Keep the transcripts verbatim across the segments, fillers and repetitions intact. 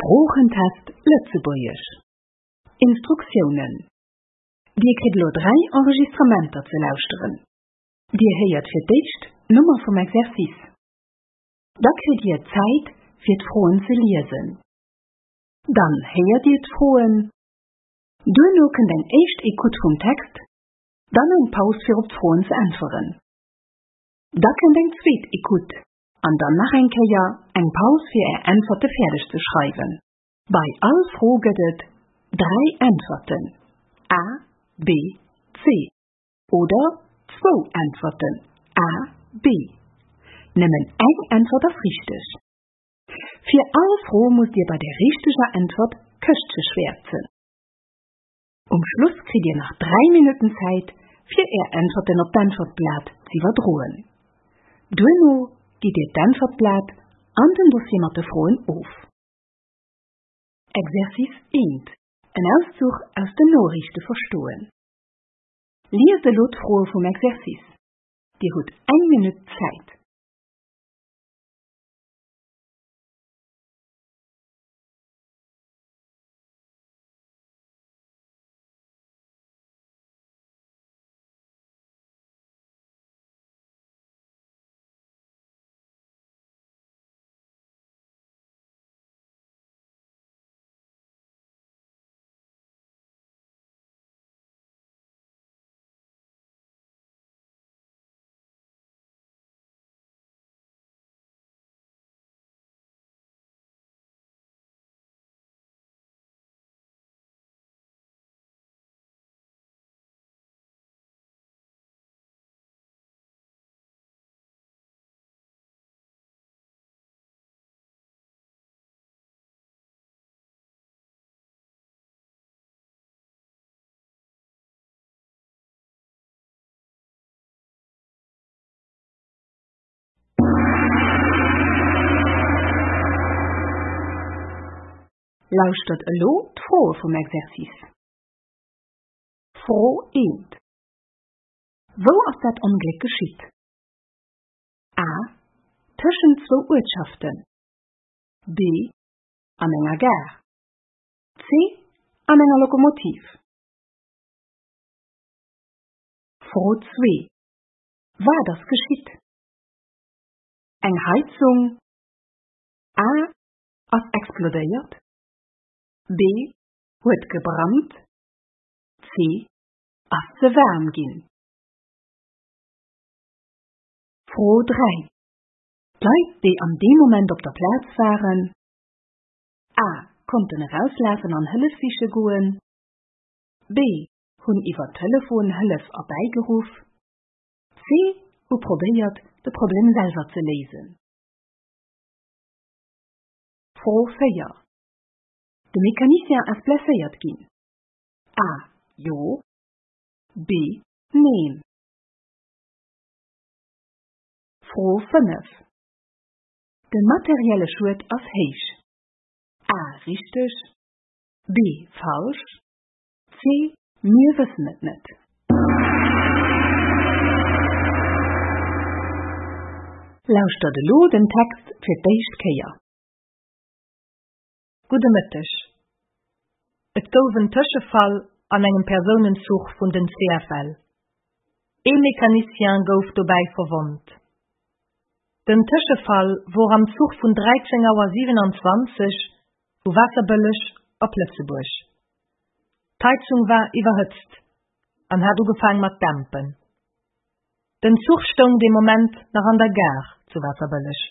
Sproochentest Lëtzebuergesch. Instruktiounen Dir kritt elo dräi Enregistrementer ze lauschteren. Dir héiert fir d'éischt d'Nummer vum Exercice. Da kritt Dir Zäit, fir d'Froen ze liesen. Dann héiert Dir d'Froen. Duerno kënnt eng éischt Ecoute vum Text, dann eng Paus fir op d'Froen ze äntweren. Da kënnt eng zweet Ecoute an dann nach eng Kéier eng Paus fir Är Äntwerte fäerdeg ze schreiwen. Bei all Fro gëtt et dräi Äntwerten, A, B, C, oder zwou Äntwerten, A, B. Nëmmen eng Äntwert ass richteg. Fir all Fro musst Dir bei der richteger Äntwert d'Këschtche schwäerzen. Um Schluss kritt Dir nach dräi Minutten Zäit, fir Är Äntwerten op d'Äntwertblat z'iwwerdroen. Duerno gitt Dir d'Äntwertblat an den Dossier mat de Froen of. Exercice eent, En Auszuch aus den Noriichte verstoen. Liest elo d'Froe vum Exercice. Dir hutt eng Minutt Zäit. Lauschtert elo d'Froe vum Exercice. Fro eent, Wou ass dat Ongléck geschitt? A. Tëschent zwou Uertschaften. B. An enger Gare. C. An enger Lokomotiv. Fro zwee, Wat ass geschitt? Eng Heizung A. Ass explodéiert. B. Huet gebrannt. C. Ass ze waarm ginn. Fro dräi, D'Leit, déi an deem Moment op der Plaz waren, A. Konnten erauslafen an Hëllef siche goen. B. Hunn iwwer Telefon Hëllef erbäigeruff. C. Hu probéiert, de Problem selwer ze léisen. Fro véier, De Mecanicien ass blesséiert ginn. A. Jo. B. Neen. Fro fënnef, De materielle Schued ass héich. A. Richteg. B. Falsch. C. Mir wëssen et net. Lauschtert elo den Text fir d'éischt Kéier. Gudde Mëtteg. Et gouf en Tëschefall an engem Persounenzuch vun den C F L. Ee Mecanicien gouf dobäi verwonnt. Den Tëschefall wor am Zuch vun dräizéng Auer siwenanzwanzeg vu Waasserbëlleg op Lëtzebuerg. D'Heizung war iwwerhëtzt an hat ugefaang mat dämpen. Den Zuch stoung dee Moment nach an der Gare zu Waasserbëlleg.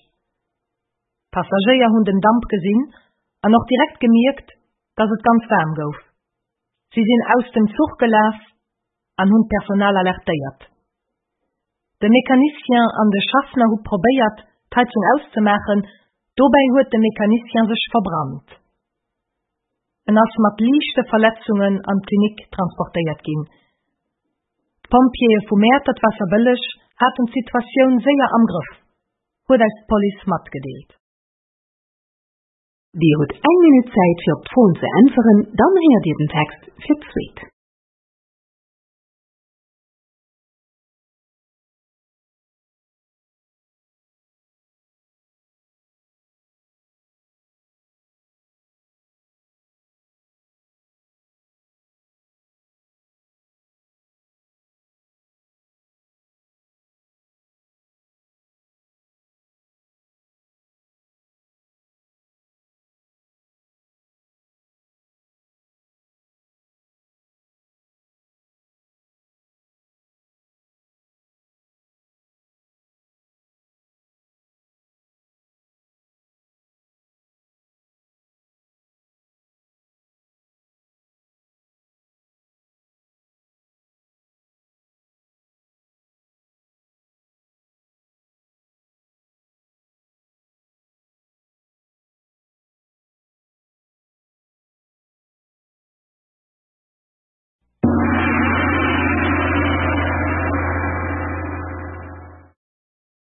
D'Passagéier hunn den Damp gesinn an och direkt gemierkt, dass et ganz waarm gouf. Si sinn aus dem Zuch gelaf an hunn d'Personal alertéiert. De Mecanicien an de Schaffner hu probéiert, d'Heizung auszemaachen, dobäi huet de Mecanicien sech verbrannt. En ass mat liichte Verletzungen an d'Klinik transportéiert ginn. D'Pompjeeë vu Mäertert-Waasserbëlleg haten d'Situatioun séier am Grëff, huet eis d'Police matgedeelt. Dir hutt eng Minutt Zäit fir op d'Froen ze äntweren, dann héiert Dir den Text fir d'zweet.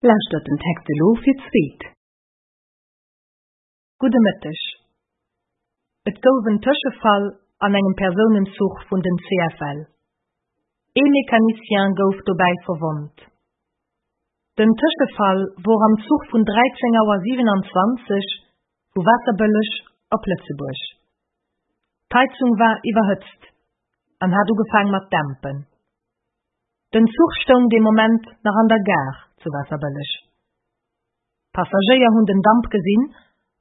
Lauschtert den Text elo fir d'zweet. Gudde Mëtteg. Et gouf en Tëschefall an engem Persounenzuch vun den C F L. Ee Mecanicien gouf dobäi verwonnt. Den Tëschefall wor am Zuch vun dräizéng Auer siwenanzwanzeg vu Waasserbëlleg op Lëtzebuerg. D'Heizung war iwwerhëtzt an hat ugefaang mat dämpen. Den Zuch stoung dee Moment nach an der Gare zu Waasserbëlleg. D'Passagéier hunn den Damp gesinn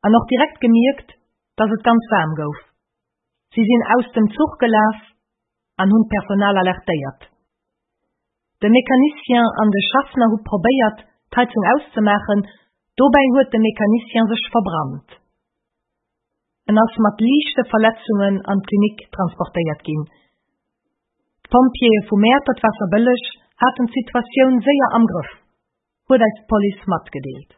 an och direkt gemierkt, dass et ganz waarm gouf. Si sinn aus dem Zuch gelaf an hunn d'Personal alertéiert. De Mecanicien an de Schaffner hu probéiert, d'Heizung auszemaachen, dobäi huet de Mecanicien sech verbrannt. En ass mat liichte Verletzungen an d'Klinik transportéiert ginn. D'Pompjeeë vu Mäertert-Waasserbëlleg haten d'Situatioun séier am Grëff, huet eis d'Police matgedeelt.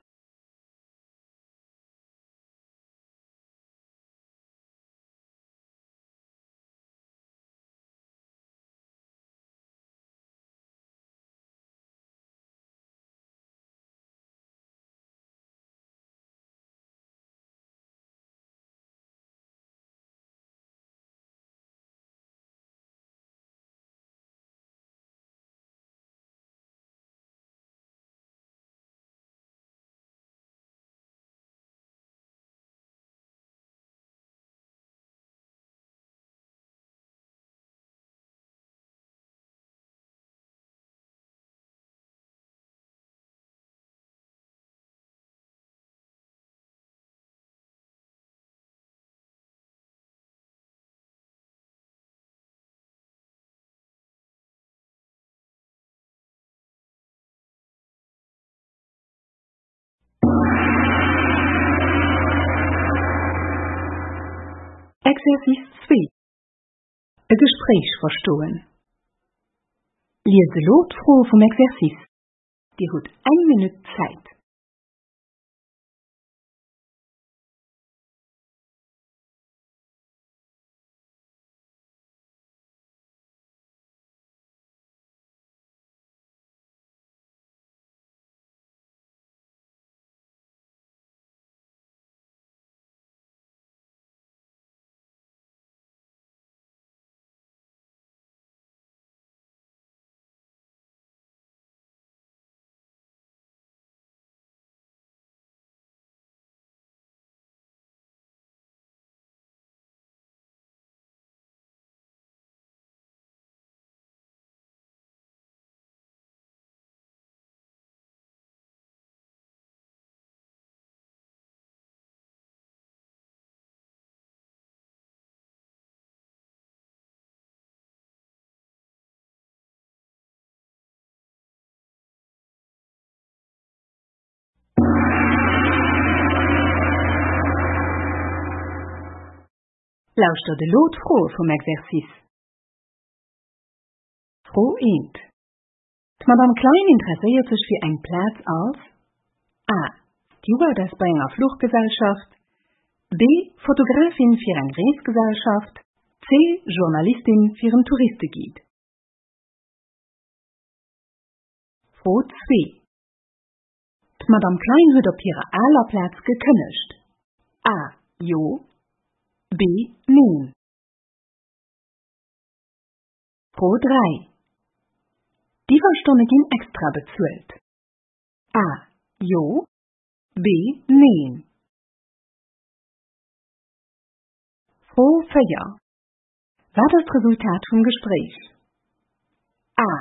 Exercice zwee, E Gespréich verstoen. Liest elo d'Froe vum Exercice. Dir hutt eng Minutt Zäit. Lauschtert elo d'Froe vum Exercice. Fro eent. D'Madame Klein interesséiert sech fir eng Plaz als A. Stewardess bei enger Fluchgesellschaft, B. Fotografin fir eng Reesgesellschaft, C. Journalistin fir en Touristeguide. Fro zwee. D'Madame Klein huet op hirer aler Plaz gekënnegt. A. Jo. B. Neen. Fro dräi. D'Iwwerstonne ginn extra bezuelt. A. Jo. B. Neen. Fro véier. Wat ass d'Resultat vum Gespréich? A.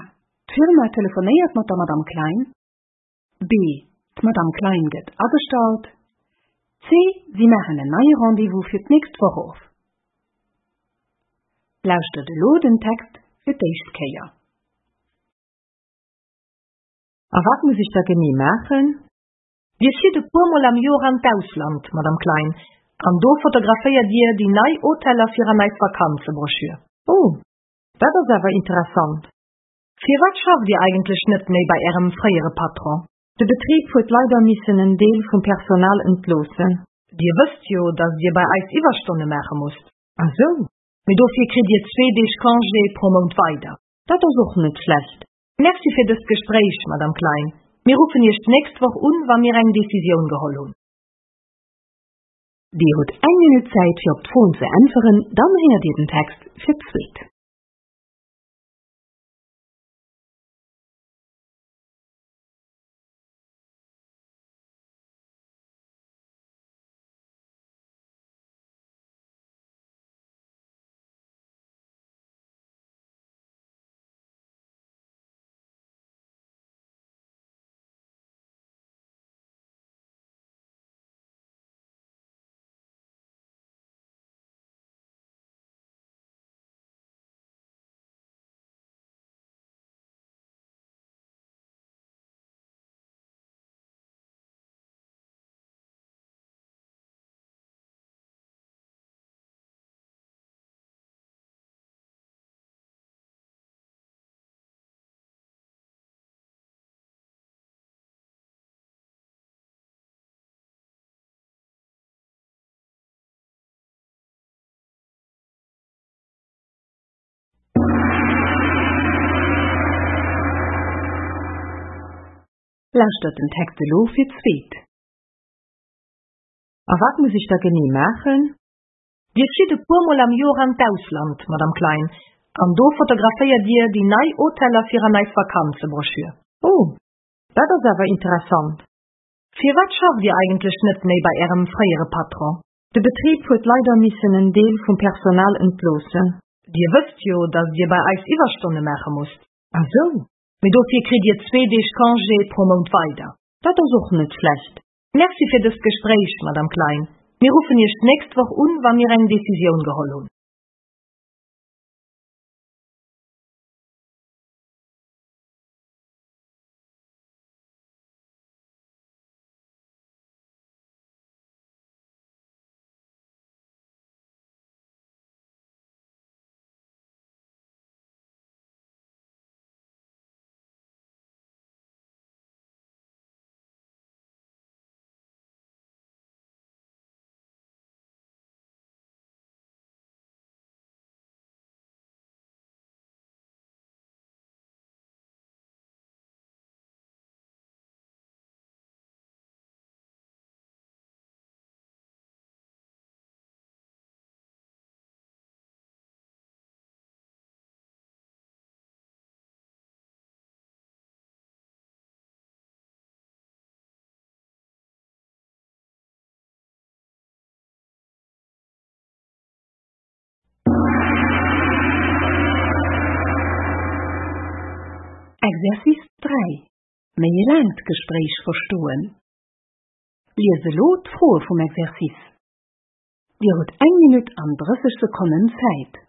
D'Firma telefonéiert mat der Madame Klein. B. D'Madame Klein gëtt agestallt. C. Si maachen en neie Rendez-vous fir d'nächst Woch of. Lauschtert elo den Text fir d'éischt Kéier. A wat muss ech da genee maachen? Dir flitt e puermol am Joer an d'Ausland, Madame Klein, an do fotograféiert Dir déi nei Hoteller fir an eis Vakanzebroschür. Oh, dat ass awer interessant. Firwat schafft Dir eigentlech net méi bei Ärem fréiere Patron? De Betrib huet leider missen en Deel vum Personal entloossen. Dir wësst jo, datt Dir bei eis Iwwerstonne maache musst. Ah sou. Mee dofir kritt Dir zwee Deeg Congé pro Mount weider. Dat ass och net schlecht. Merci fir dëst Gespréich, Madame Klein. Mir ruffen Iech d'nächst Woch un, wa mir eng Decisioun geholl hunn. Dir hutt eng Minutt Zäit fir op d'Froen ze äntweren, dann héiert Dir den Text fir d'zweet. Lauschtert den Text elo fir d'zweet. A wat muss ech da genee maachen? Dir flitt e puermol am Joer an d'Ausland, Madame Klein, an do fotograféiert Dir déi nei Hoteller fir an eis Vakanzebroschür. Oh, dat ass awer interessant. Firwat schafft Dir eigentlech net méi bei Ärem fréiere Patron? De Betrib huet leider missen en Deel vum Personal entloossen. Dir wësst jo, datt Dir bei eis Iwwerstonne maache musst. Ah sou, Mee dofir kritt Dir zwee Deeg Congé pro Mount weider. Dat ass och net schlecht. Merci fir dëst Gespréich, Madame Klein. Mir ruffen Iech d'nächst Woch un, wa mir eng Decisioun geholl hunn. Exercice dräi. Méi e laangt Gespréich verstoen. Liest elo d'Froe vum Exercice. Dir hutt eng Minutt an drësseg Sekonnen Zäit.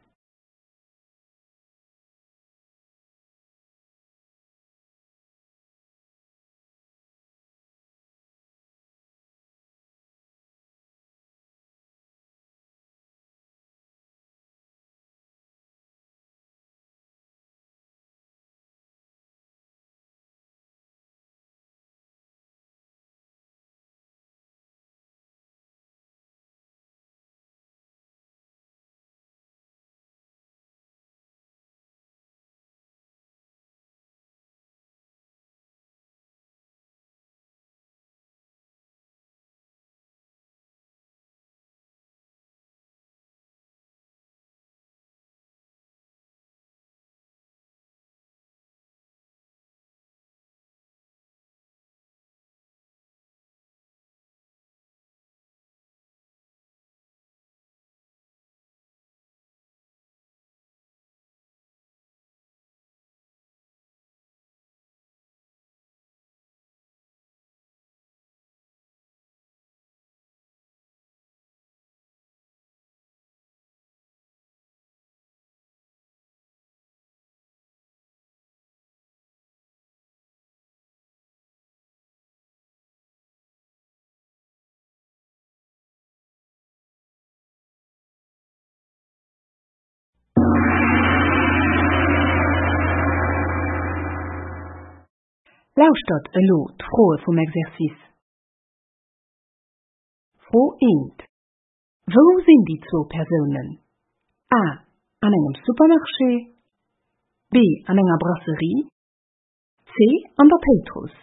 Lauschtert elo d'Froe vum Exercice. Fro eent. Wou sinn déi zwou Persounen? A. An engem Supermarché, B. An enger Brasserie, C. An der Péitruss.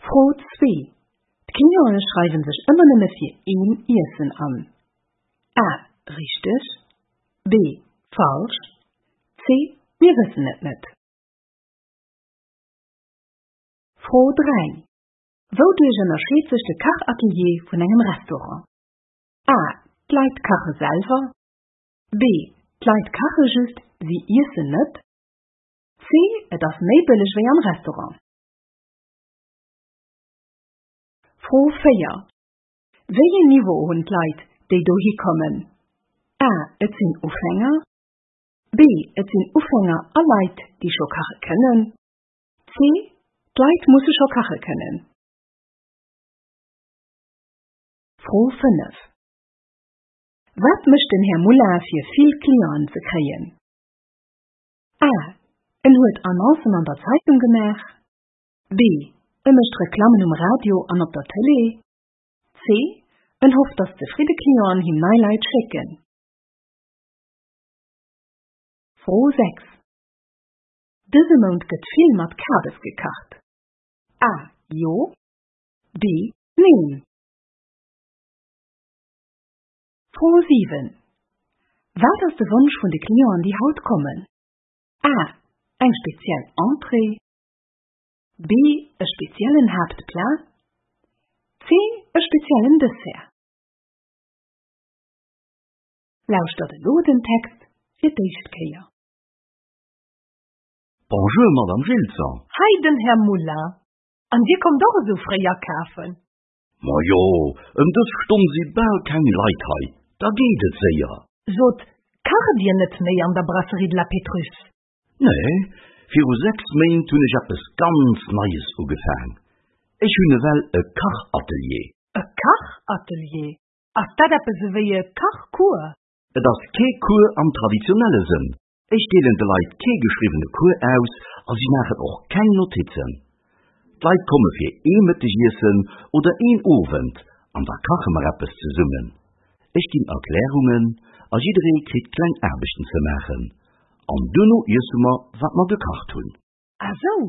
Fro zwee. D'Cliente schreiwe sech ëmmer nëmme fir een Iessen an. A. Richteg. B. Falsch. C. Mir wëssen et net. Fro dräi. Wouduerch ënnerscheet sech de Kachatelier vun engem Restaurant? A. D'Leit kache selwer. B. D'Leit kache just, si iessen net. C. Et ass méi bëlleg wéi am Restaurant. Fro véier. Wéi een Niveau hunn d'Leit, déi dohi kommen? A. Et sinn Ufänger. B. Et sinn Ufänger a Leit, déi scho kache kënnen. C. D'Leit musse scho kache kënnen. Fro fënnef. Wat mécht den Här Moulin fir vill Clienten ze kréien? A. En huet Annoncen an der Zeitung gemaach. B. E mécht Reklammen um Radio an op der Tëlee. C. En hofft, dass zefridde Clienten him nei Leit schécken. Fro sechs. Dëse Mount gëtt vill mat Kabes gekacht. A. Jo. B. Neen. Fro siwen. Wat ass de Wonsch vun de Clienten, déi haut kommen? A. Eng speziell Entrée. B. E speziellen Haaptplat. C. E speziellen Dessert. Lauschtert elo den Text fir d'éischt Kéier. Bonjour, Madame Gilson. Hei den Här Moulin. An Dir kommt och esou fréi akafen. Ma jo, ëm dës Stonn si bal keng Leit hei. Da geet et séier. Sot, kacht Dir net méi an der Brasserie de la Pétrusse? Nee, viru sechs Méint hunn ech eppes ganz Neies ugefaang. Ech hunn ewell e Kachatelier. E Kachatelier? Ass dat eppes ewéi e Kachcours? Et ass kee Cours am traditionelle Sënn. Ech deelen de Leit kee geschriwwene Cours aus a si maachen och keng Notizen. D'Leit komme fir ee Mëttegiessen oder een Owend an da kache mer eppes zesummen. Ech ginn Erklärungen a jidderee kritt kleng Aarbechten ze maachen. An duerno iesse mer, wat mer gekacht hunn. Ah sou,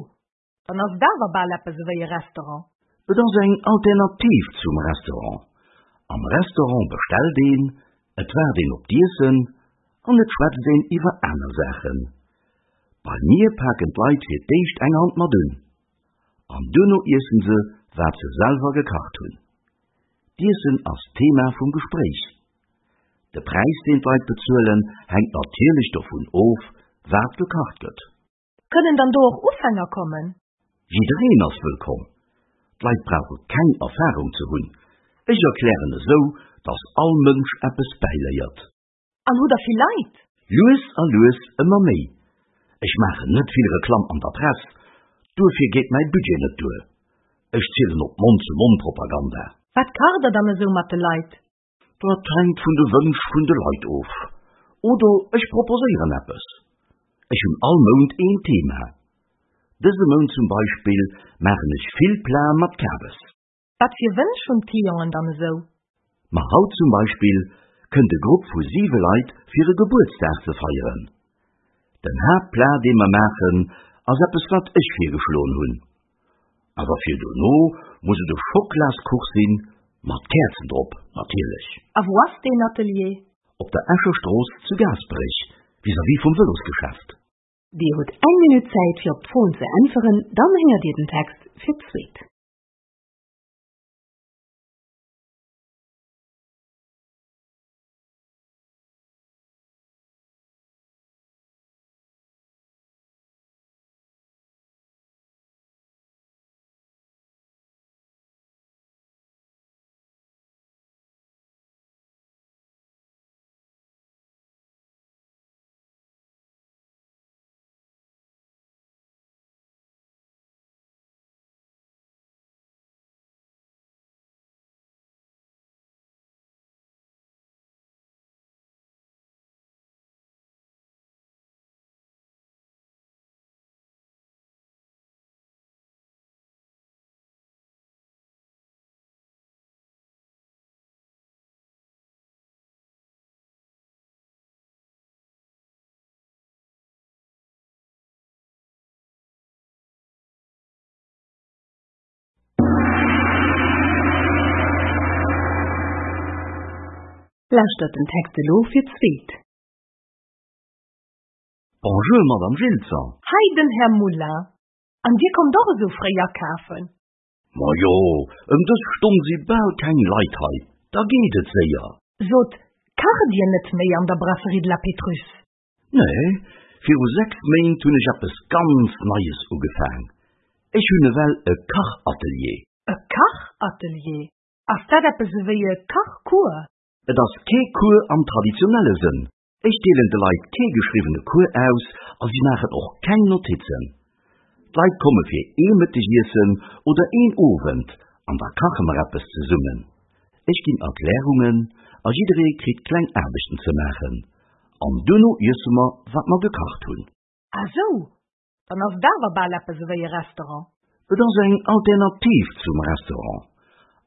dann ass et awer bal eppes ewéi e Restaurant. Et ass eng Alternativ zum Restaurant. Am Restaurant bestellt een, et waart een op d'Iessen an et schwätzt een iwwer aner Saachen. Bei mir paken d'Leit fir d'éischt eng Hand mat un. An duerno iessen se, wat se selwer gekacht hunn. D'Iessen ass Thema vum Gespréich. De Präis, deen d'Leit bezuelen, hänkt natierlech dovun of, wat gekacht gëtt. Kënnen dann do och Ufänger kommen? Jiddereen ass wëllkomm. D'Leit brauche keng Erfarung ze hunn. Ech erklären esou, dass all Mënsch eppes bäiléiert. An hutt Der vill Leit? Lues a lues ëmmer méi. Ech maachen net vill Reklamm an der Press, duerfir geet mäi Budget net duer. Ech zielen op Mond-zu-Mond-Propaganda. Wat kacht Der dann esou mat de Leit? Dat hänkt vun de Wënsch vun de Leit of. Oder ech proposéieren eppes. Ech hunn all Mount een Thema. Dëse Mount zum Beispill maachen ech vill Platen mat Kabes. Wat fir Wënsch hunn d'Clienten dann esou? Ma haut zum Beispill kënnt e Grupp vu siwe Leit fir e Gebuertsdag ze feieren. Den Haaptplat, dee mer maachen, ass eppes wat ech virgeschloen hunn. Awer fir dono muss et e Schokolaskuch sinn, mat Käerzen drop, natierlech. A wou ass deen Atelier? Op der Escher Strooss zu Gaasperech, vis-à-vis vum Vëlosgeschäft. Dir hutt eng Minutt Zäit fir op d'Froen ze äntweren, dann héiert Dir den Text fir d'zweet. Lauschtert den Text elo fir d'zweet. Bonjour, Madame Gilzer. Hei den Här Moulin. An Dir kommt och esou fréi akafen? Ma jo, ëm dës Stonn si bal keng Leit hei. Da geet et séier. Sot, kacht Dir net méi an der Brasserie de la Pétrusse? Nee, viru sechs Méint hunn ech eppes ganz Neies ugefaang. Ech hunn ewell e Kachatelier. E Kachatelier? Ass dat eppes ewéi e Kachcours? Et ass kee Cours am traditionelle Sënn. Ech deelen de Leit kee geschriwwene Cours aus a si maachen och keng Notizen. D'Leit komme fir ee Mëttegiessen oder een Owend an da kache mer eppes zesummen. Ech ginn Erklärungen a jidderee kritt kleng Aarbechten ze maachen. An duerno iesse mer, wat mer gekacht hunn. Ah sou, dann ass et awer bal eppes ewéi e Restaurant. Et ass eng Alternativ zum Restaurant.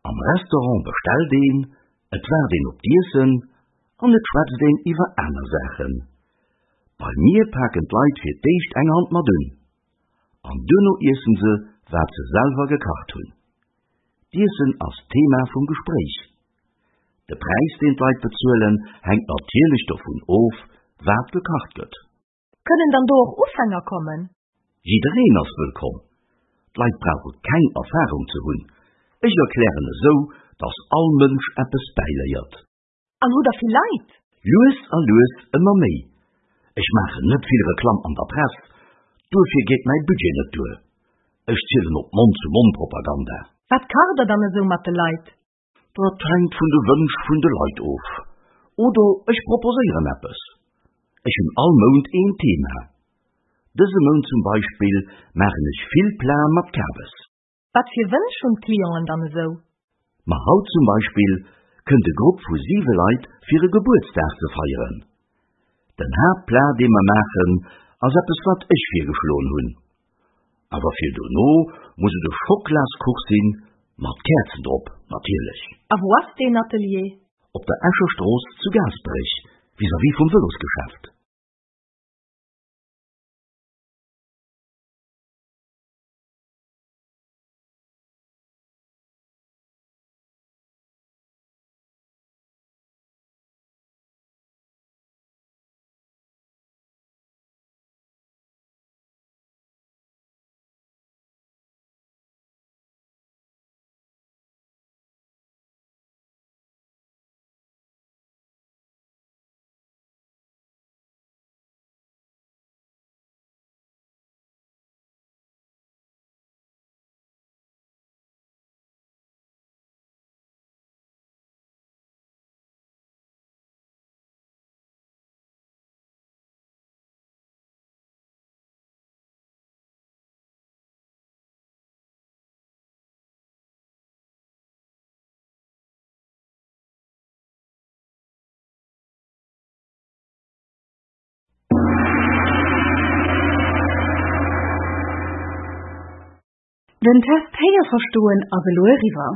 Am Restaurant bestellt een, et waart een op d'Iessen an et schwätzt een iwwer aner Saachen. Bei mir paken d'Leit fir d'éischt eng Hand mat un. An duerno iessen se, wat se selwer gekacht hunn. D'Iessen ass Thema vum Gespréich. De Präis, deen d'Leit bezuelen, hänkt natierlech dovun of, wat gekacht gëtt. Kënnen dann do och Ufänger kommen? Jiddereen ass wëllkomm. D'Leit brauche keng Erfarung ze hunn. Ech erklären esou, dass all Mënsch eppes bäiléiert. An hutt der vill Leit? Lues a lues ëmmer méi. Ech maachen net vill Reklamm an der Press, duerfir geet mäi Budget net duer. Ech zielen op Mond-zu-Mond-Propaganda. Wat kacht der dann esou mat de Leit? Dat hänkt vun de Wënsch vun de Leit of. Oder ech proposéieren eppes. Ech hunn all Mount een Thema. Dëse Mount zum Beispill maachen ech vill Plate mat Kabes. Wat fir Wënsch hunn d'Clienten dann esou? Ma haut zum Beispill kënnt e Grupp vu siwe Leit fir e Gebuertsdag ze feieren. Den Haaptplat, dee mer maachen, ass eppes wat ech virgeschloen hunn. Awer fir dono muss et e Schokolaskuch sinn, mat Käerzen drop, natierlech. A wou ass deen Atelier? Op der Escher Strooss zu Gaasperech, vis-à-vis vum Vëlosgeschäft. Den Test Héierverstoen ass elo eriwwer.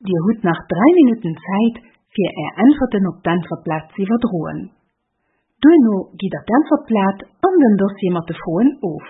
Dir hutt nach dräi Minutten Zäit, fir Är Äntwerten op d'Äntwertblat ze iwwerdroen. Duerno gitt der d'Äntwertblat an den Dossier mat de Froen of.